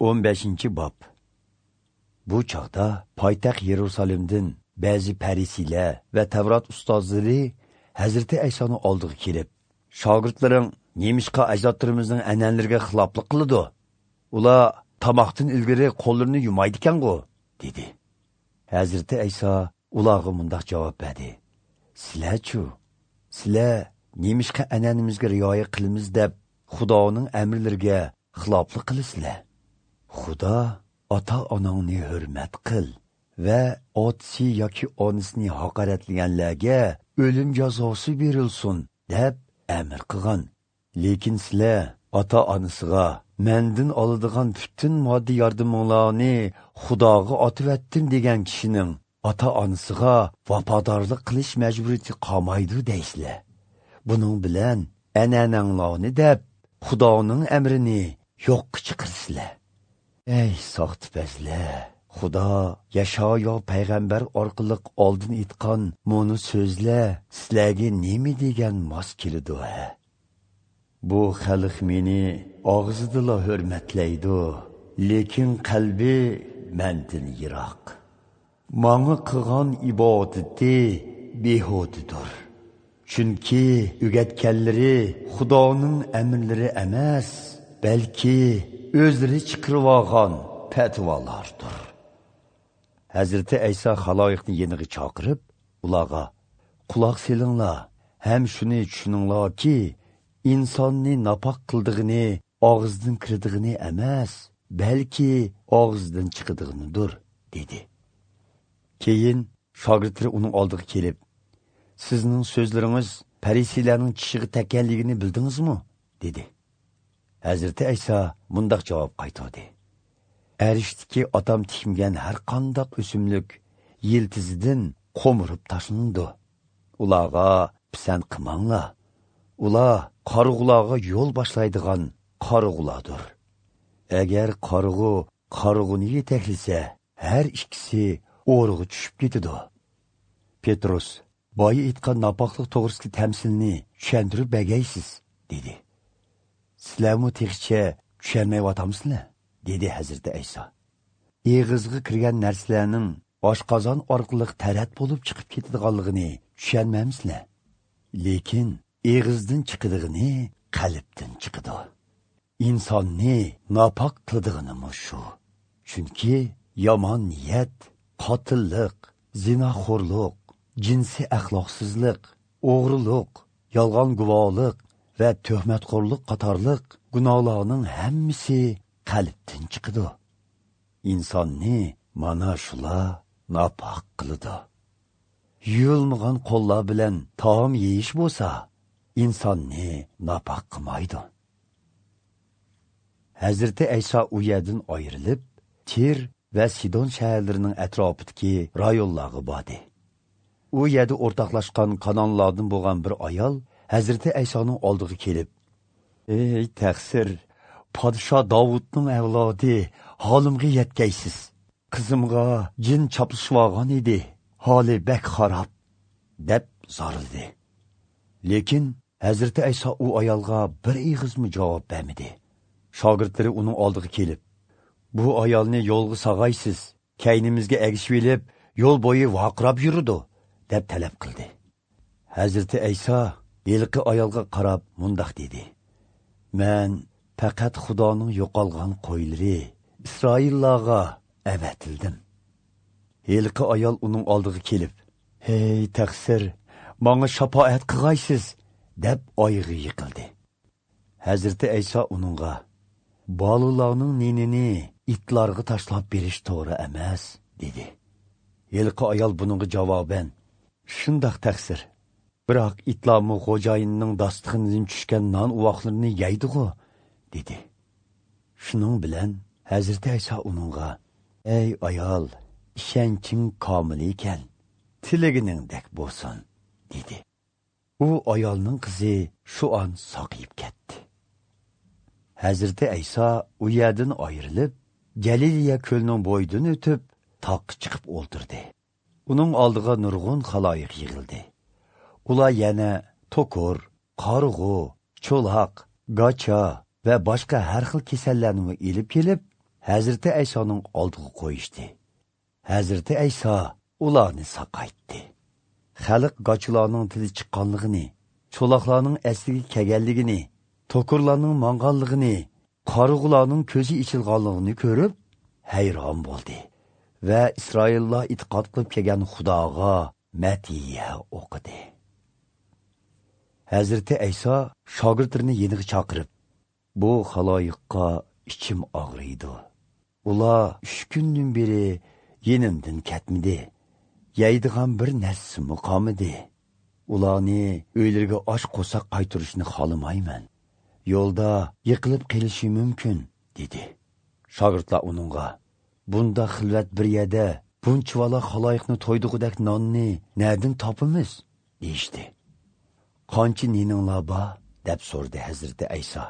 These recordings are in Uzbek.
15-bob. Bu chog'da poytaxt Yerusalimdan ba'zi parisiylar va Tavrat ustozlari Hazrati Aysoni oldiga kelib, shogirdlaring nemishqa ajdodlarimizning an'analariga xiloflik qiladi? Ular tomoqdan ilgari qo'llarini yumaydi ekan-ku, dedi. Hazrati Ayso ularga mundoq javob berdi: Sizlar-chu, sizlar nemishqa an'anamizga rioya qilamiz deb Xudoning amrlariga xiloflik qilasizlar. Xudo ota-onangni hurmat qil va otasi yoki onasini haqoratlaganlarga o'lim jazosi berilsin deb amr qilgan. Lekin sizlar ota-onasiga mendan oladigan butun moddiy yordaminglarni Xudoga otivatdim degan kishining ota-onasiga vafodorlik qilish majburiyati qolmaydi deysizlar. Buning bilan an'ananglarni deb Xudoning amrini yo'qqa chiqarsizlar. Ey soxtipazlar! Xudo Yashayo payg'ambar orqali oldin aytgan mo'ni so'zlar sizlarga nima degan mos keladi? Bu xalq meni og'zidala hurmatlaydi, lekin qalbi mendan yiroq. Manga qilgan ibodati behudadir. Chunki o'rgatganlari Xudoning amrlari emas, balki o'zlari chiqarib olgan fatvolardir. Hazrati Ayso xaloyiqni yeniga chaqirib, ularga: "Quloq selinglar, ham shuni tushuninglarki, insonni napoq qildig'ini og'izdan kirdig'ini emas, balki og'izdan chiqadig'inidir", dedi. Keyin shogirdlari uning oldiga kelib, "Sizning so'zlaringiz parisiylarning tishiga tekkanligini bildingizmi?" dedi. Hazrati Ayso mundoq javob qaytardi: Arishdiki otam tikmagan har qandaq o'simlik yiltizidan qo'mirib tashlandi. Ularga pisand qilmanglar. Ular qorg'ularga yo'l boshlaydigan qorg'ulardir. Agar qorg'u qorg'uni yetaklasa, har ikkisi o'rg'a tushib ketadi. Petrus: "Boya aytgan napoqlik to'g'risidagi tamsilni tushuntirib bergaysiz", dedi. "Sizlarmi texicha tushunmayyotamsizlar?" dedi Hazrati Ayso. Eg'izga kirgan narsalarning oshqozon orqali tarat bo'lib chiqib ketadiganligini tushunmaymizlar. Lekin eg'izdan chiqadig'ini qalbdan chiqadi. Insonni nopok qildig'ini shu. Chunki yomon niyat, qotillik, zinoxo'rlik, jinsiy axloqsizlik, o'g'rilik, yolg'on guvohlik va tuhmatxo'rlik qatorliq gunohlarning hammasi qalbdan chiqadi. Insonni mana shular nopok qiladi. Yuyilmagan qo'llar bilan taom yeyish bo'lsa, insonni nopok qilmaydi. Hazrati Ayso u yerdan ayrilib, Tir va Sidon shaharlarining atrofidagi rayonlarga bordi. U yerda o'rtoqlashgan Kanonlardan bo'lgan bir ayol Hazrati Aysoning oldiga kelib, "Ey taqsir, podsho Davudning avlodi, holimga yetkaysiz. Qizimga jin chaplashib olgan edi, holi bek xarob", deb zorildi. Lekin Hazrati Ayso u ayolga bir ig'izmi javob bermadi. Shogirdlari uning oldiga kelib, "Bu ayolni yo'lga sag'aysiz, kaynimizga ergishib olib, yo'l bo'yi vaqirab yurdi", deb talab qildi. Hazrati Ayso yilqi ayolga qarab mundoq dedi: "Men faqat Xudoning yo'qolgan qo'ylari Isroillarga avatildim." Yilqi ayol uning oldiga kelib, "Hey taqsir, menga shafoat qilg'aysiz", deb oyog'iga yiqildi. Hazrati Ayso uningga: "Bolalarning ninini itlarga tashlab berish to'g'ri emas", dedi. Yilqi ayol buningga javoban: "Shundoq taqsir, biroq itlarmi xo'jayinining dasturxonidan tushgan non uvoqlarini yeydi-ku", dedi. Shuning bilan Hazrati Ayso uningga: "Ey ayol, ishonching komil ekan, tilaginingdek bo'lsin", dedi. U ayolning qizi shu on saqiyib ketdi. Hazrati Ayso u yerdan ayrilib, Galiliya ko'lining bo'yidan o'tib, toqqa chiqib o'ltirdi. Uning oldiga nurg'un xaloyiq yig'ildi. Ular yana to'kor, qorg'u, cho'loq, gacha va boshqa har xil kasallarni ilib kelib, Hazrati Aysoning oldiga qo'yishdi. Hazrati Ayso ularni saqaytdi. Xalq qochilarning tili chiqqanligini, cho'loqlarning asliga kelganligini, to'kurlarning manganligini, qorug'ularning ko'zi ichilganligini ko'rib hayron bo'ldi va Isroillar e'tiqod qilib kelgan Xudoga matiya o'qidi. Hazrati Ayso shogirdlarini yeniga chaqirib, bu xaloyiqqa ichim og'riydi. Ular 3 kundan beri yenimdan ketmidi. Yeydigan bir narsami qolmadi. Ularni uylariga och qo'saq qaytarishni xohlamayman. Yo'lda yiqilib qelishi mumkin, dedi. Shogirdlar uningga, bunda xilvat bir yerda bunchavala xaloyiqni to'ydig'udek nonni nerdan topamiz, deyishdi. Qancha nininglar bor, deb so'radi Hazrati Ayso.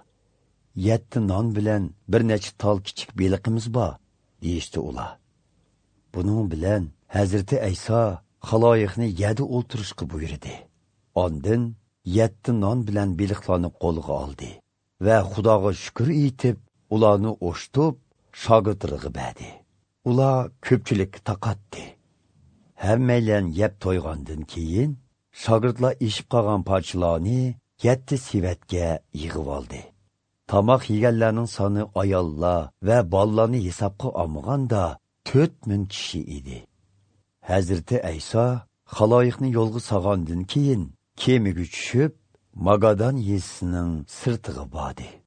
7 non bilan bir necha tol kichik beliqimiz bor, deyishdi ular. Buning bilan Hazrati Ayso xaloyiqni yerda o'ltirishga buyurdi. Ondan 7 non bilan beliqlarni qo'liga oldi va Xudoga shukr etib, ularni o'shtib, shogirdlariga berdi. Ular ko'pchilikka taqatdi. Hammaylan yeb to'ygandan keyin shogirdlar eshib qolgan parchalarni 7 sevatga yig'ib oldi. Tomoq yeganlarning soni ayollar va bolalarni hisobga olmaganda 4000 kishi edi. Hazrati Ayso xaloyiqni yo'lga solgandan keyin kemaga tushib, Magadan yezisining sirtiga bordi.